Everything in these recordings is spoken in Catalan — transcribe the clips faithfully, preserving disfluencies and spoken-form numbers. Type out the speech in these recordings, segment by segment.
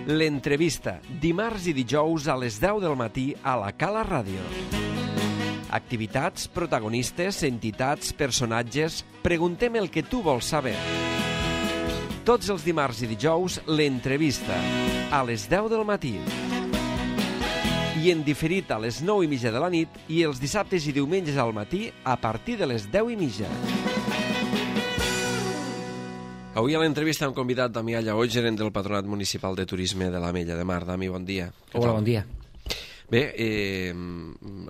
L'entrevista, dimarts i dijous a les deu del matí a la Cala Ràdio. Activitats, protagonistes, entitats, personatges... Preguntem el que tu vols saber. Tots els dimarts i dijous, l'entrevista, a les deu del matí. I en diferit a les nou i mitja de la nit i els dissabtes i diumenges al matí a partir de les deu i mitja. Avui a l'entrevista hem convidat Damià Lleó, gerent del Patronat Municipal de Turisme de l'Ametlla de Mar. Dami, bon dia. Hola, bon dia. Bé, eh,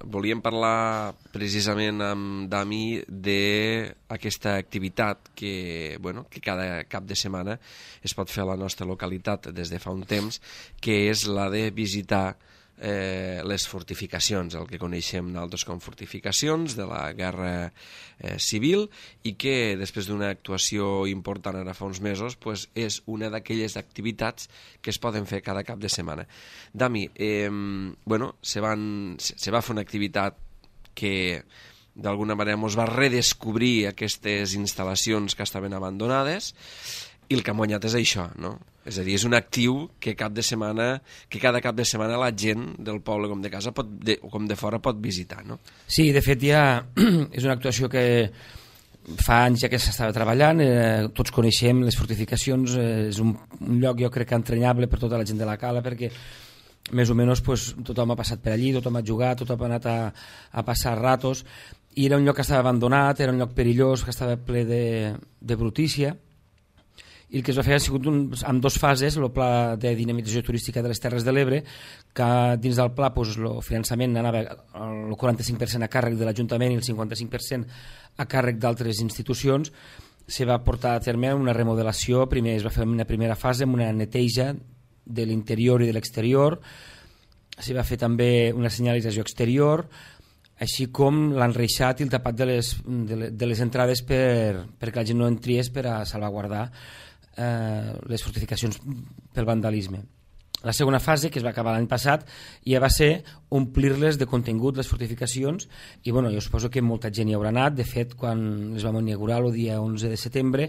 volíem parlar precisament amb Dami d'aquesta activitat que, bueno, que cada cap de setmana es pot fer a la nostra localitat des de fa un temps, que és la de visitar Eh, les fortificacions, el que coneixem nosaltres com fortificacions de la Guerra eh, Civil, i que després d'una actuació important ara fa uns mesos pues, és una d'aquelles activitats que es poden fer cada cap de setmana. Dami, eh, bueno, se, van, se, se va fer una activitat que d'alguna manera ens va redescobrir aquestes instal·lacions que estaven abandonades, i el que ha guanyat és això, no? És a dir, és un actiu que cap de setmana, que cada cap de setmana la gent del poble com de casa pot, de, o com de fora pot visitar, no? Sí, de fet ja és una actuació que fa anys ja que s'estava treballant, eh, tots coneixem les fortificacions, eh, és un, un lloc jo crec que entranyable per tota la gent de la cala, perquè més o menys pues, tothom ha passat per allí, tothom ha jugat, tothom ha anat a, a passar ratos, i era un lloc que estava abandonat, era un lloc perillós, que estava ple de, de brutícia, i el que es va fer ha sigut un, en dues fases, el pla de dinamització turística de les Terres de l'Ebre, que dins del pla pues, el finançament anava el quaranta-cinc per cent a càrrec de l'Ajuntament i el cinquanta-cinc per cent a càrrec d'altres institucions. Se va portar a terme una remodelació, primer es va fer una primera fase amb una neteja de l'interior i de l'exterior, se va fer també una senyalització exterior, així com l'enreixat i el tapat de les, de les, de les entrades per, perquè la gent no entriés per a salvaguardar Eh, les fortificacions pel vandalisme. La segona fase, que es va acabar l'any passat, ja va ser omplir-les de contingut, les fortificacions, i bueno, jo suposo que molta gent hi haurà anat. De fet, quan les vam inaugurar el dia onze de setembre,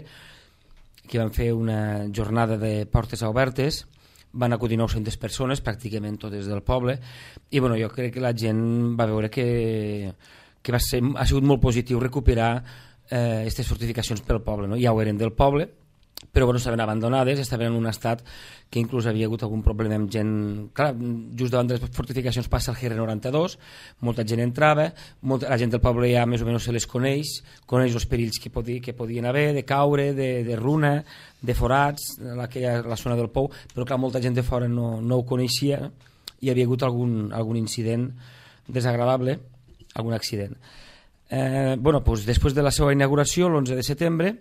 que van fer una jornada de portes obertes, van acudir nou-centes persones, pràcticament totes del poble, i bueno, jo crec que la gent va veure que, que va ser, ha sigut molt positiu recuperar aquestes eh, fortificacions pel poble, no? Ja ho eren del poble, però bueno, estaven abandonades, estaven en un estat que inclús havia hagut algun problema amb gent. Clar, just davant de les fortificacions passa el G R noranta-dos, molta gent entrava, molta, la gent del poble ja més o menys se les coneix, coneix els perills que, podi, que podien haver, de caure, de, de runa, de forats, la, la zona del pou, però clar, molta gent de fora no, no ho coneixia, i havia hagut algun, algun incident desagradable, algun accident. Eh, bueno, doncs, després de la seva inauguració, l'onze de setembre,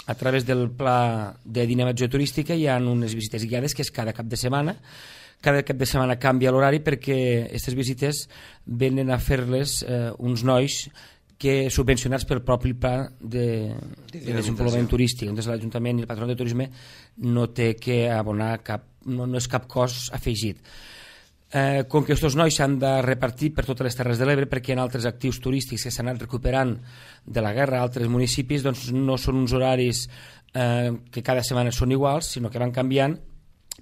a través del pla de dinamització turística hi ha unes visites guiades que és cada cap de setmana. Cada cap de setmana canvia l'horari perquè aquestes visites venen a fer-les eh, uns nois que subvencionats pel propi pla de, de desenvolupament turístic. Entonces l'Ajuntament i el Patronat de Turisme no té que abonar cap, no, no és cap cost afegit. Eh, com que aquests nois s'han de repartir per totes les Terres de l'Ebre perquè hi ha altres actius turístics que s'han anat recuperant de la guerra a altres municipis, doncs no són uns horaris eh, que cada setmana són iguals, sinó que van canviant,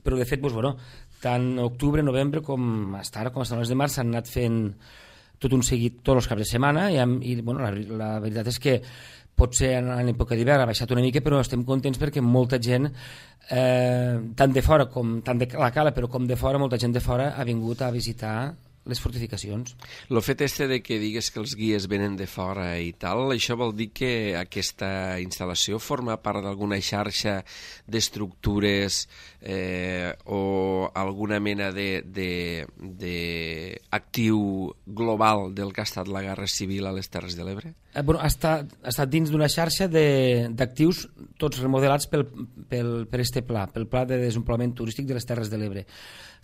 però de fet doncs, bueno, tant octubre, novembre com fins ara, com fins al mes de març, s'han anat fent tot un seguit tots els caps de setmana, i, i bueno, la, la veritat és que potser en, en època d'hivern ha baixat una mica, però estem contents perquè molta gent, eh, tant de fora com tant de la cala, però com de fora, molta gent de fora ha vingut a visitar les fortificacions. El fet este de que digues que els guies venen de fora i tal, això vol dir que aquesta instal·lació forma part d'alguna xarxa d'estructures eh, o alguna mena d'actiu global del que ha estat la Guerra Civil a les Terres de l'Ebre? Eh, bueno, ha, estat, ha estat dins d'una xarxa d'actius tots remodelats pel, pel, per este pla, pel Pla de Desenvolupament Turístic de les Terres de l'Ebre.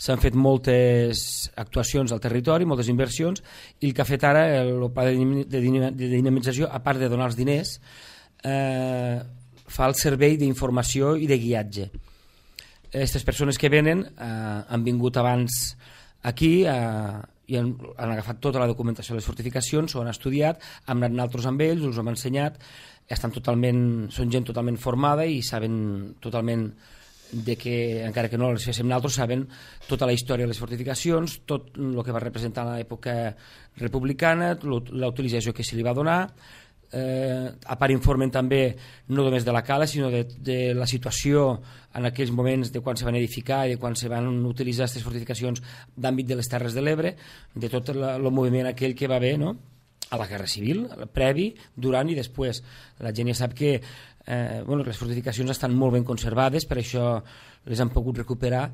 S'han fet moltes actuacions al territori, moltes inversions, i el que ha fet ara el pla de dinamització, a part de donar els diners, eh, fa el servei d'informació i de guiatge. Aquestes persones que venen eh, han vingut abans aquí eh, i han, han agafat tota la documentació de les fortificacions, s'ho han estudiat, hem anat nosaltres amb ells, us ho hem ensenyat, estan totalment, són gent totalment formada i saben totalment de que, encara que no les féssim nosaltres, saben tota la història de les fortificacions, tot el que va representar l'època republicana, la utilització que se li va donar. Eh, a part informen també no només de la cala, sinó de, de la situació en aquells moments de quan se van edificar i de quan se van utilitzar aquestes fortificacions d'àmbit de les Terres de l'Ebre, de tot el moviment aquell que va haver, no?, a la Guerra Civil, previ, durant i després. La gent ja sap que eh, bueno, les fortificacions estan molt ben conservades, per això les han pogut recuperar,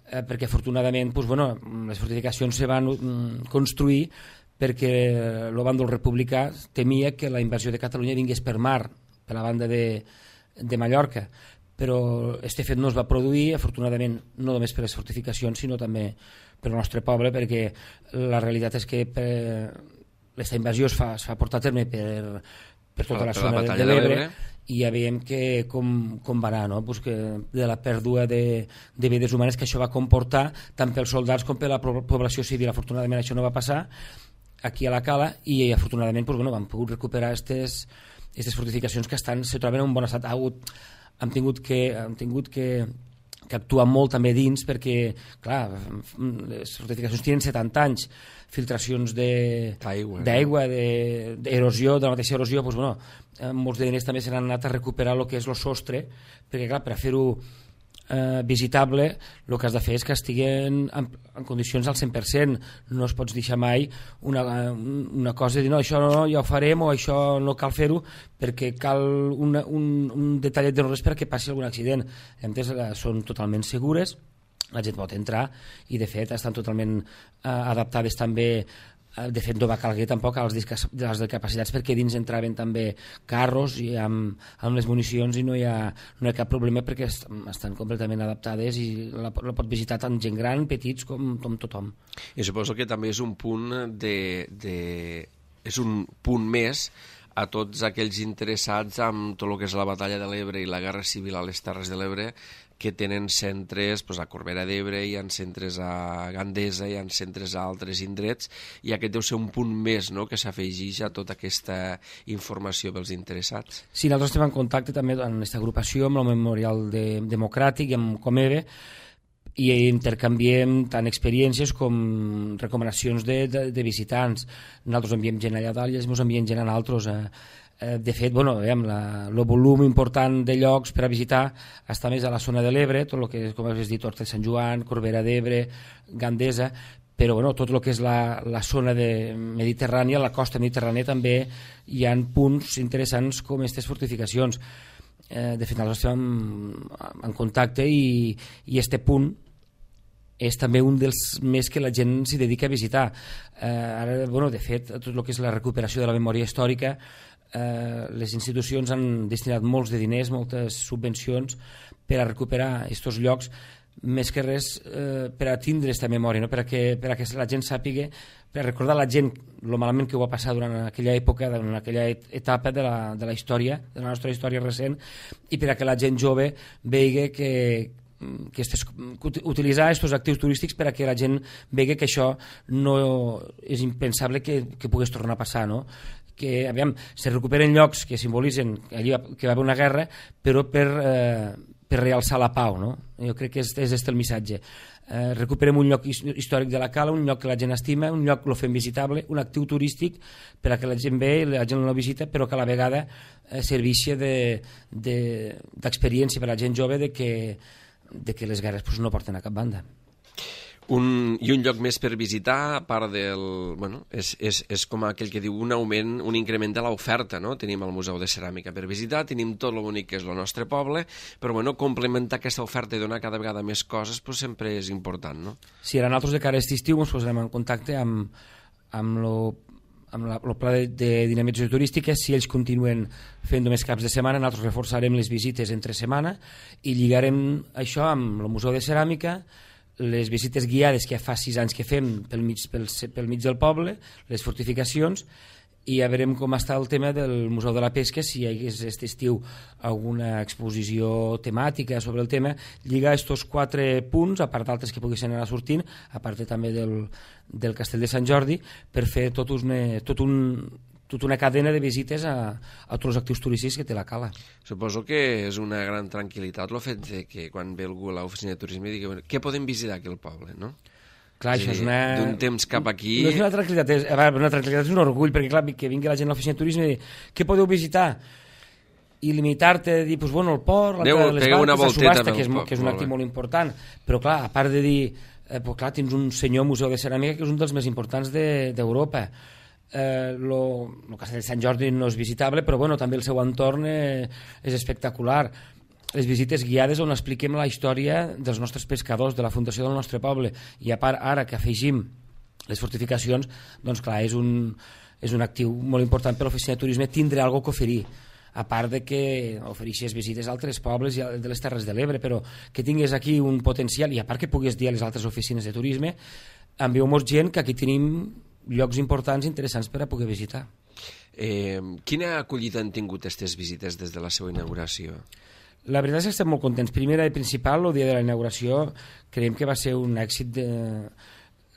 eh, perquè afortunadament pues, bueno, les fortificacions se van mm, construir perquè el bàndol republicà temia que la invasió de Catalunya vingués per mar, per la banda de, de Mallorca, però este fet no es va produir, afortunadament, no només per les fortificacions, sinó també per el nostre poble, perquè la realitat és que aquesta invasió es fa, es fa portar a terme per, per tota la, la zona de l'Ebre, i ja veiem que com, com va anar, no? Pues que de la pèrdua de, de vides humanes que això va comportar tant pels soldats com per la població civil. Afortunadament això no va passar aquí a la cala i afortunadament pues, bueno, han pogut recuperar aquestes fortificacions que estan, se troben en un bon estat. Ha hagut, han tingut que, han tingut que, que actuar molt també dins perquè, clar, les fortificacions tenen setanta anys, filtracions d'aigua, d'erosió, de la mateixa erosió, doncs, bueno, molts de diners també s'han anat a recuperar el que és el sostre, perquè clar, per fer-ho eh, visitable el que has de fer és que estiguen en, en condicions al cent per cent, no es pots deixar mai una, una cosa de dir no, això no, ja ho farem o això no cal fer-ho perquè cal una, un, un detallet de no res perquè passi algun accident. Entens? Són totalment segures, la gent pot entrar i de fet estan totalment eh, adaptades també. De fet no va calguer tampoc a les discapacitats perquè dins entraven també carros i amb, amb les municions i no hi, ha, no hi ha cap problema perquè estan completament adaptades i la, la pot visitar tant gent gran, petits com, com tothom. I suposo que també és un punt de, de, és un punt més a tots aquells interessats en tot el que és la batalla de l'Ebre i la Guerra Civil a les Terres de l'Ebre, que tenen centres pues, a Corbera d'Ebre, hi ha centres a Gandesa, hi ha centres a altres indrets, i aquest deu ser un punt més, no?, que s'afegeix a tota aquesta informació pels interessats. Sí, nosaltres estem en contacte també en aquesta agrupació amb el Memorial de, Democràtic i amb Comebe, i intercanviem tant experiències com recomanacions de, de, de visitants. Nosaltres enviem gent allà dalt i ells ens envien gent a altres. Eh, de fet, bueno, el volum important de llocs per a visitar està més a la zona de l'Ebre, tot el que és, com has dit, Horta de Sant Joan, Corbera d'Ebre, Gandesa, però bueno, tot el que és la, la zona de mediterrània, la costa mediterrània també hi ha punts interessants com aquestes fortificacions. Eh, de fet, nosaltres estem en, en contacte i, i este punt és també un dels més que la gent s'hi dedica a visitar. Eh, ara, bueno, de fet, tot el que és la recuperació de la memòria històrica, eh, les institucions han destinat molts de diners, moltes subvencions per a recuperar aquests llocs, més que res eh, per a tindre aquesta memòria, no? per, a que, per a que la gent sàpiga, per a recordar la gent el malament que ho va passar durant aquella època, durant aquella etapa de la, de la història, de la nostra història recent, i per a que la gent jove vegi que, que estes, utilitzar aquests actius turístics per a que la gent vegi que això no és impensable que, que pogués tornar a passar, no? Que aviam, se recuperen llocs que simbolitzen allí que va haver una guerra, però per, eh, per realçar la pau, no? Jo crec que és, és este el missatge. Eh, recuperem un lloc històric de la cala, un lloc que la gent estima, un lloc que lo fem visitable, un actiu turístic per a que la gent ve i la gent no visita, però que a la vegada eh, serveixi d'experiència de, per a la gent jove de que, de que les guerres pues, no porten a cap banda. Un, I un lloc més per visitar, a part del... Bueno, és, és, és com aquell que diu un augment, un increment de l'oferta, no? Tenim el Museu de Ceràmica per visitar, tenim tot el bonic que és el nostre poble, però bueno, complementar aquesta oferta i donar cada vegada més coses pues, sempre és important, no? Sí, ara nosaltres de cara a aquest estiu ens posarem en contacte amb, amb lo amb la, el pla de, de dinamització turística. Si ells continuen fent només caps de setmana, nosaltres reforçarem les visites entre setmana i lligarem això amb el Museu de Ceràmica, les visites guiades que ja fa sis anys que fem pel mig, pel, pel mig del poble, les fortificacions, i ja veurem com està el tema del Museu de la Pesca, si hi hagués aquest estiu alguna exposició temàtica sobre el tema, lligar aquests quatre punts, a part d'altres que poguessin anar sortint, a part també del, del Castell de Sant Jordi, per fer tot un, tot un, tota una cadena de visites a, a tots els actius turístics que té la cala. Suposo que és una gran tranquil·litat el fet de que quan ve algú a l'oficina de turisme digui, bueno, què podem visitar aquí al poble, no? Clar, és això és dir, una... d'un temps cap aquí... No és una tranquil·litat, és, a veure, una tranquil·litat és un orgull, perquè clar, que vingui la gent a l'oficina de turisme i dir, què podeu visitar? I limitar-te a dir, pues, bueno, el port, l'entrada de les barques, la subhasta, que és, que és un actiu molt important, però clar, a part de dir, eh, pues, clar, tens un senyor museu de ceràmica que és un dels més importants d'Europa. De, Eh, lo, el castell de Sant Jordi no és visitable, però bueno, també el seu entorn eh, és espectacular. Les visites guiades on expliquem la història dels nostres pescadors, de la fundació del nostre poble, i a part ara que afegim les fortificacions, doncs clar, és un, és un actiu molt important per l'oficina de turisme tindre alguna que oferir, a part de que ofereixes visites a altres pobles i de les Terres de l'Ebre, però que tingués aquí un potencial, i a part que puguis dir a les altres oficines de turisme, envieu-nos gent que aquí tenim llocs importants i interessants per a poder visitar. Eh, quina acollida han tingut aquestes visites des de la seva inauguració? La veritat és que estem molt contents. Primera i principal, el dia de la inauguració, creiem que va ser un èxit de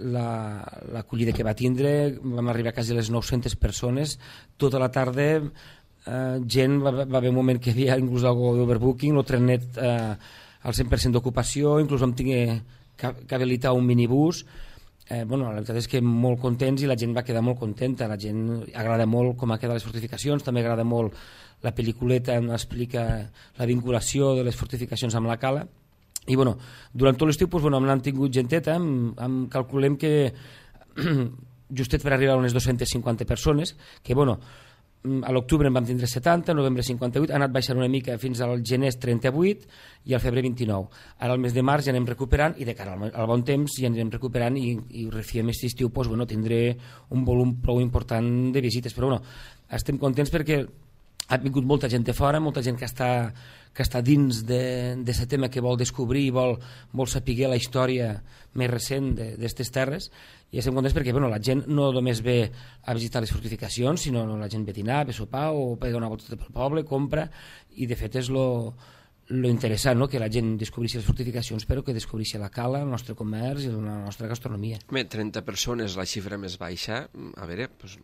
l'acollida la, que va tindre. Vam arribar a quasi les nou-centes persones. Tota la tarda eh, gent, va, va haver un moment que hi havia inclús algo d'overbooking, el trenet eh, al cent per cent d'ocupació, inclús vam tenir que, que habilitar un minibús. Eh, bueno, la veritat és que molt contents i la gent va quedar molt contenta, la gent agrada molt com ha quedat les fortificacions, també agrada molt la pel·lículeta on explica la vinculació de les fortificacions amb la cala i bueno, durant tot l'estiu doncs, bueno, hem tingut genteta, hem, hem, calculem que justet per arribar a unes dues-centes cinquanta persones, que bueno, a l'octubre en vam tindre setanta, novembre cinquanta-vuit, ha anat baixant una mica fins al gener trenta-vuit i al febrer vint-i-nou. Ara al mes de març ja anem recuperant i de cara al, al bon temps ja anem recuperant i, i refiem aquest estiu, doncs, bueno, tindré un volum prou important de visites, però bueno, estem contents perquè ha vingut molta gent de fora, molta gent que està, que està dins d'aquest tema, que vol descobrir i vol, vol saber la història més recent d'aquestes terres, i estem contents perquè bueno, la gent no només ve a visitar les fortificacions, sinó la gent ve a dinar, ve a sopar o ve a donar volta pel poble, compra, i de fet és lo, lo interessant, no? Que la gent descobreixi les fortificacions, però que descobreixi la cala, el nostre comerç i la nostra gastronomia. Bé, trenta persones, la xifra més baixa, a veure, pues,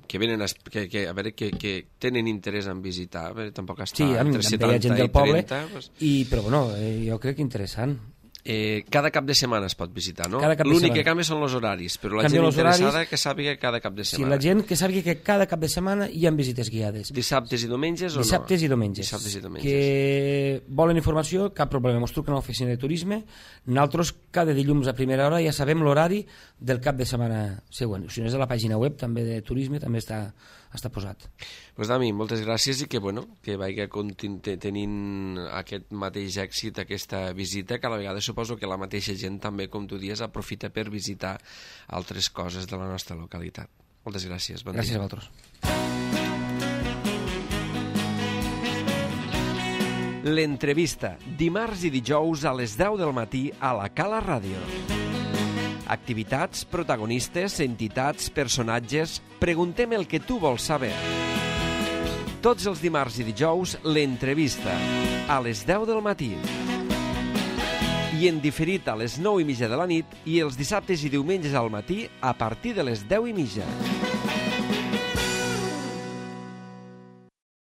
que venen a, que, que, a veure, que, que tenen interès en visitar, a veure, tampoc està sí, entre setanta gent del i poble, trenta. Pues... I, però bueno, eh, jo crec que interessant. Eh, cada cap de setmana es pot visitar, no? L'únic que canvia són els horaris, però la Canvien gent interessada horaris, que sàpiga cada cap de setmana. Sí, la gent que sàpiga que cada cap de setmana hi ha visites guiades. Dissabtes i diumenges o Dissabtes no? i diumenges. Dissabtes i diumenges. Que volen informació, cap problema, ens truquen a l'oficina de turisme, nosaltres cada dilluns a primera hora ja sabem l'horari del cap de setmana següent. Si no és a la pàgina web també de turisme, també està, està posat. Pues Dami, moltes gràcies i que, bueno, que vagi tenint aquest mateix èxit, aquesta visita, que a la vegada suposo que la mateixa gent també, com tu dies, aprofita per visitar altres coses de la nostra localitat. Moltes gràcies. Bon gràcies dia. a vosaltres. L'entrevista, dimarts i dijous a les deu del matí a la Cala Ràdio. Activitats, protagonistes, entitats, personatges... Preguntem el que tu vols saber. Tots els dimarts i dijous, l'entrevista, a les deu del matí. I en diferit a les nou i mitja de la nit i els dissabtes i diumenges al matí a partir de les deu i mitja.